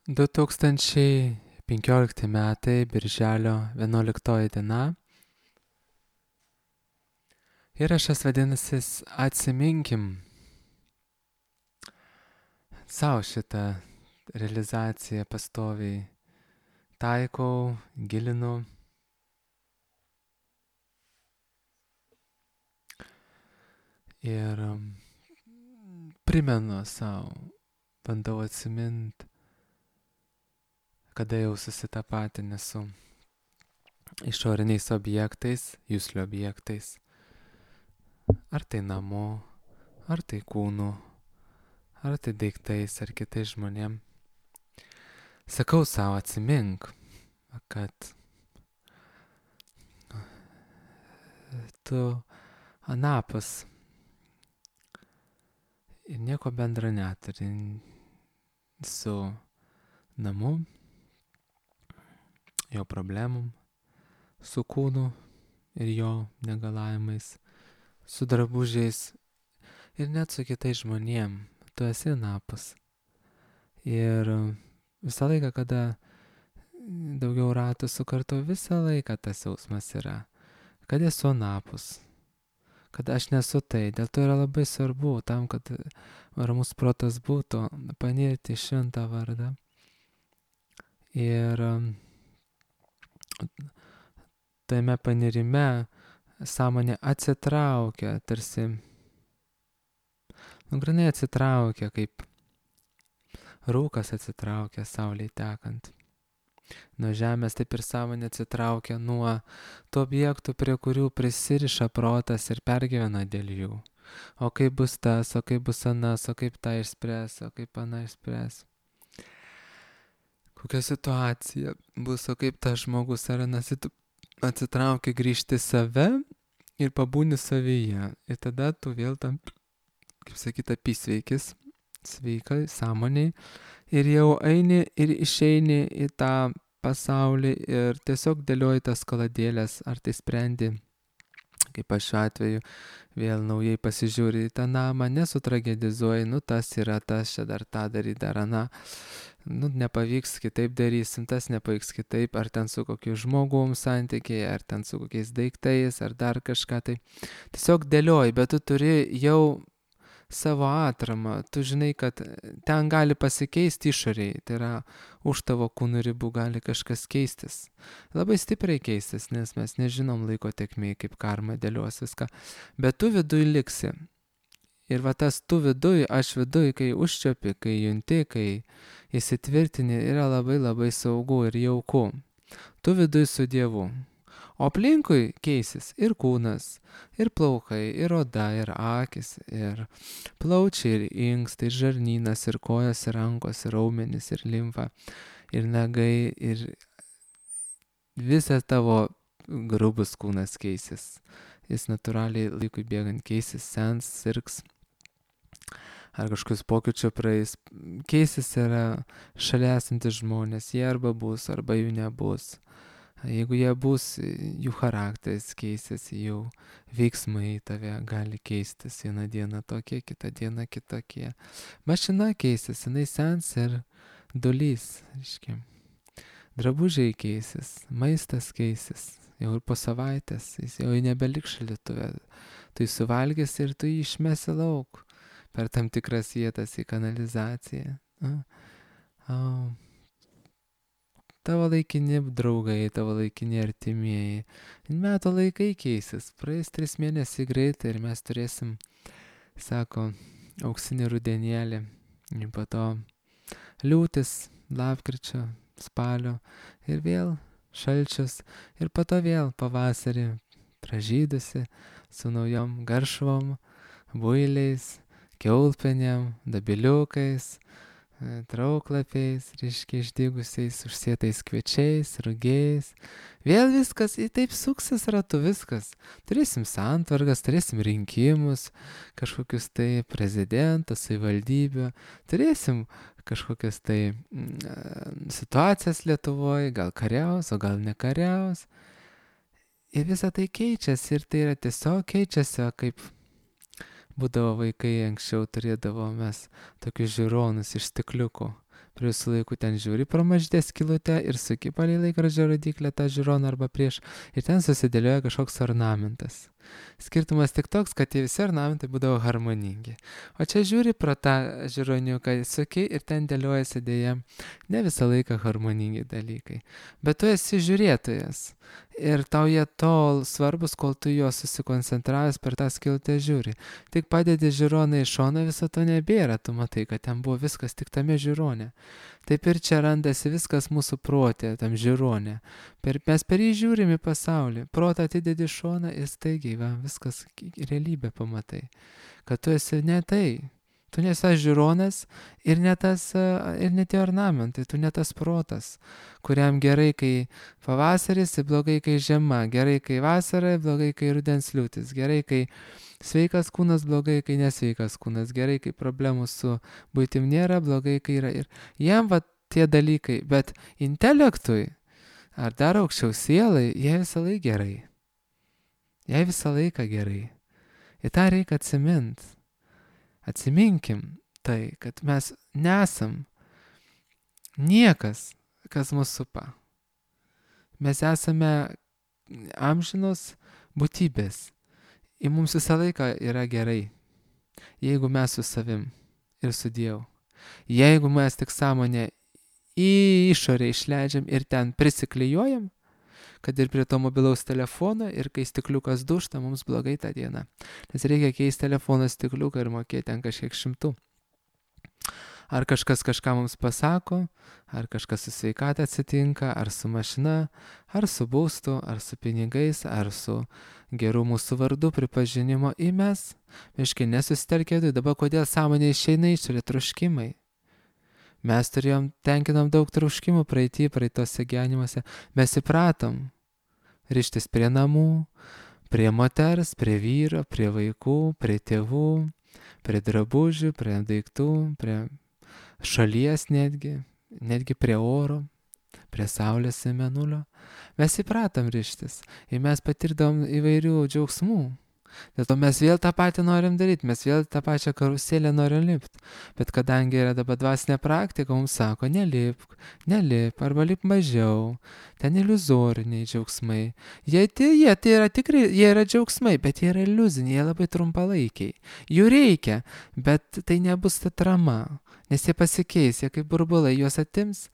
2015 metai, birželio 11 diena. Įrašas vadinasi Atsiminkim. Sau šitą realizaciją pastoviai taikau, gilinu. Ir primenu savo, bandau atsimint, kada jau susitapatinę su išoriniais objektais, juslių objektais. Ar tai namu, ar tai kūnu, ar tai daiktais, ar kitais žmonėm. Sakau savo, atsimink, kad tu anapus ir nieko bendra neturi su namu, jo problemom, su kūnu ir jo negalavimais, su drabužiais ir net su kitais žmonėm. Tu esi anapus. Ir visą laiką, kada daugiau ratų sukartu, visą laiką tas jausmas yra, kad esu anapus, kad aš nesu tai. Dėl to yra labai svarbu tam, kad ramus protas būtų, panirti į šventą vardą. Ir tame panirime sąmonė atsitraukia, tarsi granai atsitraukia, kaip rūkas atsitraukia saulei tekant nuo žemės, taip ir sąmonė atsitraukia nuo tų objektų, prie kurių prisiriša protas ir pergyvena dėl jų. O kaip bus tas, o kaip bus anas, o kaip tą išspręs, o kaip aną išspręs. Kokia situacija bus, o kaip tas žmogus ar anas atsitraukia grįžti save ir pabūni savyje. Ir tada tu vėl tam, kaip sakyta, apysveikis, sveikai, sąmoniai. Ir jau eini ir išeini į tą pasaulį ir tiesiog dėlioji tas kaladėlės, ar tai sprendi, kaip aš šiuo atveju, vėl naujai pasižiūri į tą namą, nesutragedizuoji, tas yra tas, čia dar tą daryti, dar aną, nepavyks, kitaip darysim, tas nepavyks kitaip, ar ten su kokiu žmogum santykiai, ar ten su kokiais daiktais, ar dar kažką tai. Tiesiog dėlioji, bet tu turi jau savo atramą, tu žinai, kad ten gali pasikeisti išoriai, tai yra už tavo kūno ribų gali kažkas keistis. Labai stipriai keistis, nes mes nežinom laiko tėkmėj, kaip karma dėlios viską, bet tu viduj liksi. Ir va tas tu viduj, aš viduj, kai užčiopi, kai junti, kai įsitvirtini, yra labai labai saugu ir jauku. Tu viduj su Dievu. O aplinkui keisis ir kūnas, ir plaukai, ir oda, ir akis, ir plaučiai, ir inkstai, ir žarnynas, ir kojos, ir rankos, ir raumenys, ir limfa, ir nagai, ir visas tavo grubus kūnas keisis. Jis natūraliai laikui bėgant keisis, sens, sirgs, ar kažkokius pokyčių praeis. Keisis yra šalia esantis žmonės, jie arba bus, arba jų nebus. Jeigu jie bus, jų charakteris keisis, jų veiksmai tave gali keistis. Vieną dieną tokie, kitą dieną kitokie. Mašina keisis, jinai sens ir dulys. Drabužiai keisis, maistas keisis. Jau ir po savaitės, jis jau nebeliks šaldytuve. Tu jį suvalgys ir tu jį išmesi lauk per tam tikras vietas į kanalizaciją. Tavo laikini draugai, tavo laikini artimieji. Metų laikai keisis, praeis 3 mėnesiai greitai ir mes turėsim, sako, auksinį rudenėlį. Ir po to liūtis, lapkričio, spalio ir vėl šalčius. Ir po to vėl pavasarį pražydusi su naujom garšvom, builiais, kiaulpienėm, dabiliukais, trauklapiais, reiškia išdygusiais, užsėtais kviečiais, rugiais. Vėl viskas, taip suksis ratu viskas. Turėsim santvarkas, turėsim rinkimus, kažkokius tai prezidentą, savivaldybę, turėsim kažkokias tai situacijas Lietuvoje, gal kariaus, o gal nekariaus. Ir visą tai keičiasi ir tai yra tiesiog keičiasi, kaip būdavo vaikai, anksčiau turėdavo mes tokius žiūronus iš stikliukų. prie visų laikų ten žiūri pro mažytę skylutę ir suki palei laikrodžio rodyklę tą žiūroną arba prieš ir ten susidėlioja kažkoks ornamentas. Skirtumas tik toks, kad tie visi ornamentai būdavo harmoningi. O čia žiūri pro tą žiūroniuką, suki ir ten dėliojasi dėja ne visą laiką harmoningi dalykai. Bet tu esi žiūrėtojas ir tau jie tol svarbus, kol tu juos susikoncentravęs per tą skiltę žiūri. Tik padedi žiūroną į šoną, viso to nebėra, tu matai, kad ten buvo viskas tik tame žiūrone. Taip ir čia randasi viskas mūsų protė, tam žiūronė. Mes per jį žiūrim į pasaulį, protą atidedi šoną ir staigiai, viskas realybė pamatai. Kad tu esi ne tai. Tu nesi žiūronas ir ne tie ornamentai, tu ne tas protas, kuriam gerai, kai pavasaris, blogai, kai žiema, gerai, kai vasara, blogai, kai rudens liūtis, gerai, kai sveikas kūnas, blogai, kai nesveikas kūnas, gerai, kai problemų su buitim nėra, blogai, kai yra. Ir jam tie dalykai, bet intelektui, ar dar aukščiau sielai, jie visą laiką gerai. Jai visą laiką gerai. Ir tą reikia atsiminti. Atsiminkim tai, kad mes nesam niekas, kas mus supa. Mes esame amžinos būtybės. Ir mums visą laiką yra gerai, jeigu mes su savim ir su Dievu. Jeigu mes tik sąmonę į išorę išleidžiam ir ten prisiklijuojam, kad ir prie to mobilaus telefono ir kai stikliukas dušta, mums blogai tą dieną. Nes reikia keisti telefono stikliuką ir mokėti ten kažkiek šimtų. Ar kažkas kažką mums pasako, ar kažkas su sveikata atsitinka, ar su mašina, ar su būstu, ar su pinigais, ar su geru mūsų vardu pripažinimo į mes. Miškai nesusitelkė, dabar kodėl sąmonė išeina išorė troškimai. Mes tenkinom daug troškimų praeitose gyvenimuose. Mes įpratom rištis prie namų, prie moters, prie vyro, prie vaikų, prie tėvų, prie drabužių, prie daiktų, prie šalies netgi prie oro, prie saulės ir mėnulio. Mes įpratom rištis ir mes patirdom įvairių džiaugsmų. Dėl to mes vėl tą patį norim daryti, mes vėl tą pačią karuselę norim lipti. Bet kadangi yra dabar dvasinė praktika, mums sako, nelipk, arba lipk mažiau, ten iliuzoriniai džiaugsmai. Jie yra tikrai, jie yra džiaugsmai, bet jie yra iliuziniai, jie labai trumpalaikiai. Jų reikia, bet tai nebus ta trama, nes jie pasikeis, jie kaip burbulai, juos atims,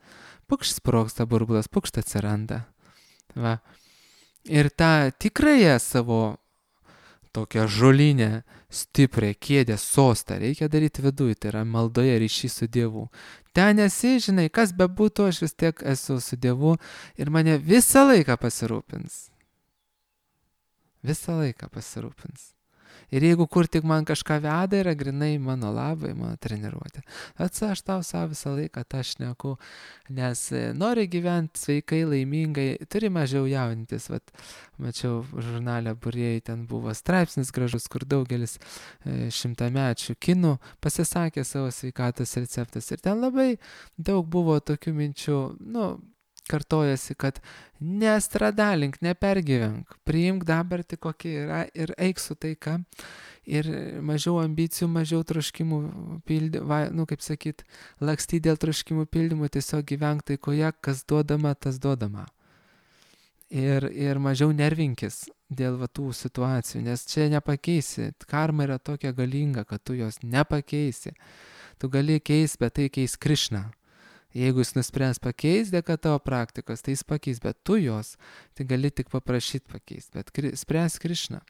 pukšt sprogsta burbulas, pukšt atsiranda. Va. Ir tą tikrąją savo tokią žolinę, stiprią kėdę, sostą reikia daryti viduje, tai yra maldoje ryšys su Dievu. Ten esi, žinai, kas bebūtų, aš vis tiek esu su Dievu ir mane visą laiką pasirūpins. Visą laiką pasirūpins. Ir jeigu kur tik man kažką veda, yra grinai mano labai, mano treniruotė. Aš tau savo visą laiką tą šneku, nes nori gyventi sveikai, laimingai, turi mažiau jaunintis. Mačiau žurnale Būrėjai, ten buvo straipsnis gražus, kur daugelis šimtamečių kinų pasisakė savo sveikatos receptas. Ir ten labai daug buvo tokių minčių, kartojasi, kad nestradalink, nepergyvenk, priimk dabartį kokia yra ir eik su taika. Ir mažiau ambicijų, mažiau troškimų lakstyti dėl troškimų pildymų, tiesiog gyvenk taikoje, kas duodama, tas duodama. Ir mažiau nervinkis dėl tų situacijų, nes čia nepakeisi. Karma yra tokia galinga, kad tu jos nepakeisi. Tu gali keisti, bet tai keis Krišna. Jeigu jis nuspręs pakeis dėka tavo praktikos, tai jis pakeis, bet tu jos, tai gali tik paprašyti pakeisti, bet spręs Krišna.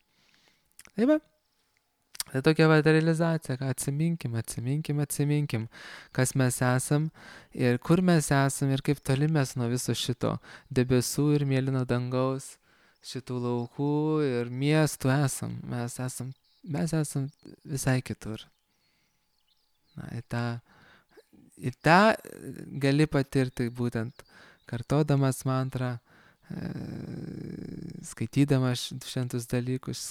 Tai va, tai tokia realizacija, kad atsiminkim, kas mes esam ir kur mes esam ir kaip toli mes nuo viso šito debesų ir mėlyno dangaus, šitų laukų ir miestų esam. Mes esam visai kitur. Ir tą gali patirti būtent kartodamas mantrą, skaitydamas šventus dalykus,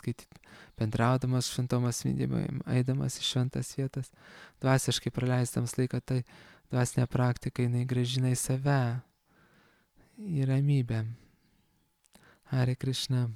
bendraudamas šventom asmenybėm, eidamas į šventas vietas, dvasiškai praleisdamas laiką, tai dvasinė praktika, jinai grąžina į save, į ramybę. Hare Krishna.